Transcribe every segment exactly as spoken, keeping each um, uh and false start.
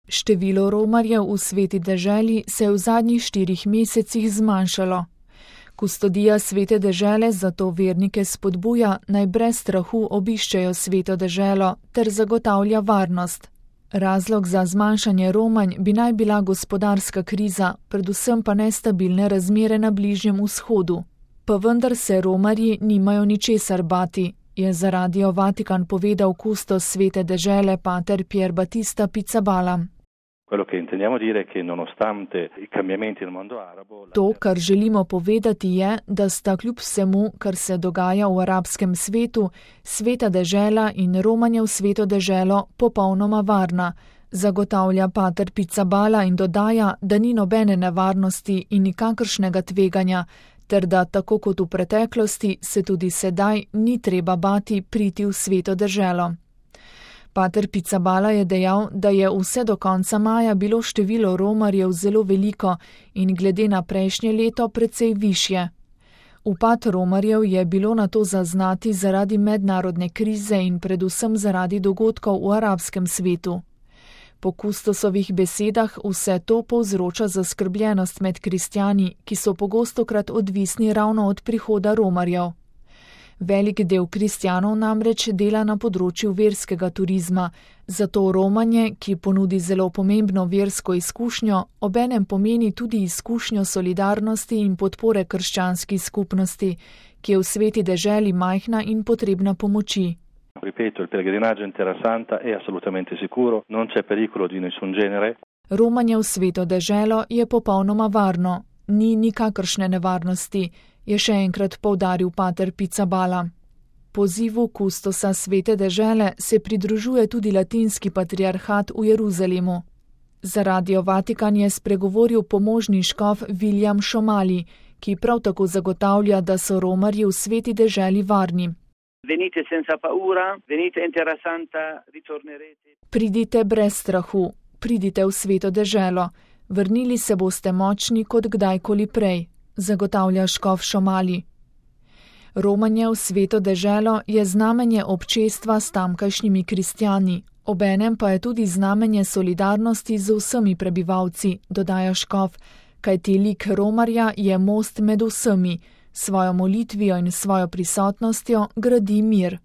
Število romarjev v Sveti deželi se je v zadnjih štirih mesecih zmanjšalo. Kustodija Svete dežele zato vernike spodbuja, naj brez strahu obiščejo Sveto deželo ter zagotavlja varnost. Razlog za zmanjšanje romanj bi naj bila gospodarska kriza, predvsem pa nestabilne razmere na Bližnjem vzhodu. Pa vendar se romarji nimajo ničesar bati, je za Radio Vatikan povedal kustos Svete dežele pater Pier Battista Pizzaballa. To, kar želimo povedati, je, da sta kljub vsemu, kar se dogaja v arabskem svetu, Sveta dežela in romanje v Sveto deželo popolnoma varna, zagotavlja pater Pizzaballa in dodaja, da ni nobene nevarnosti in nikakršnega tveganja, ter da tako kot v preteklosti se tudi sedaj ni treba bati priti v Sveto deželo. Pater Pizzaballa je dejal, da je vse do konca maja bilo število romarjev zelo veliko in glede na prejšnje leto precej višje. Upad romarjev je bilo nato zaznati zaradi mednarodne krize in predvsem zaradi dogodkov v arabskem svetu. Po kustosovih besedah vse to povzroča zaskrbljenost med kristjani, ki so pogostokrat odvisni ravno od prihoda romarjev. Velik del kristjanov namreč dela na področju verskega turizma, zato romanje, ki ponudi zelo pomembno versko izkušnjo, obenem pomeni tudi izkušnjo solidarnosti in podpore krščanski skupnosti, ki je v Sveti deželi majhna in potrebna pomoči. Ripeto, il pellegrinaggio in Terra Santa è assolutamente sicuro, non c'è pericolo di nessun genere. Romanje v Sveto deželo je popolnoma varno, ni nikakršne nevarnosti, je še enkrat poudaril pater Pizzaballa. Pozivu kustosa Svete dežele se pridružuje tudi latinski patriarhat v Jeruzalemu. Za Radio Vatikan je spregovoril pomožni škof William Šomali, ki prav tako zagotavlja, da so romarji v Sveti deželi varni. Venite senza paura, venite in Terra Santa, ritornerete. Pridite brez strahu, pridite v Sveto deželo, vrnili se boste močni kot kdajkoli prej, zagotavlja škof Šomali. Romanje v Sveto deželo je znamenje občestva s tamkajšnjimi kristjani, obenem pa je tudi znamenje solidarnosti z vsemi prebivalci, dodaja škof, kajti lik romarja je most med vsemi, svojo molitvijo in svojo prisotnostjo gradi mir.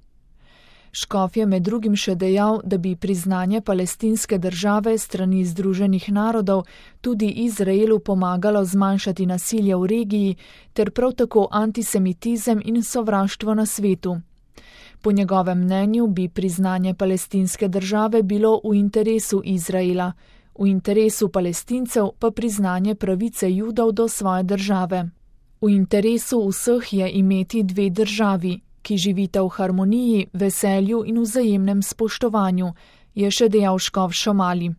Škof je med drugim še dejal, da bi priznanje palestinske države strani Združenih narodov tudi Izraelu pomagalo zmanjšati nasilje v regiji ter prav tako antisemitizem in sovraštvo na svetu. Po njegovem mnenju bi priznanje palestinske države bilo v interesu Izraela, v interesu Palestincev pa priznanje pravice Judov do svoje države. V interesu vseh je imeti dve državi, ki živita v harmoniji, veselju in vzajemnem spoštovanju, je še dejal škof Šomali.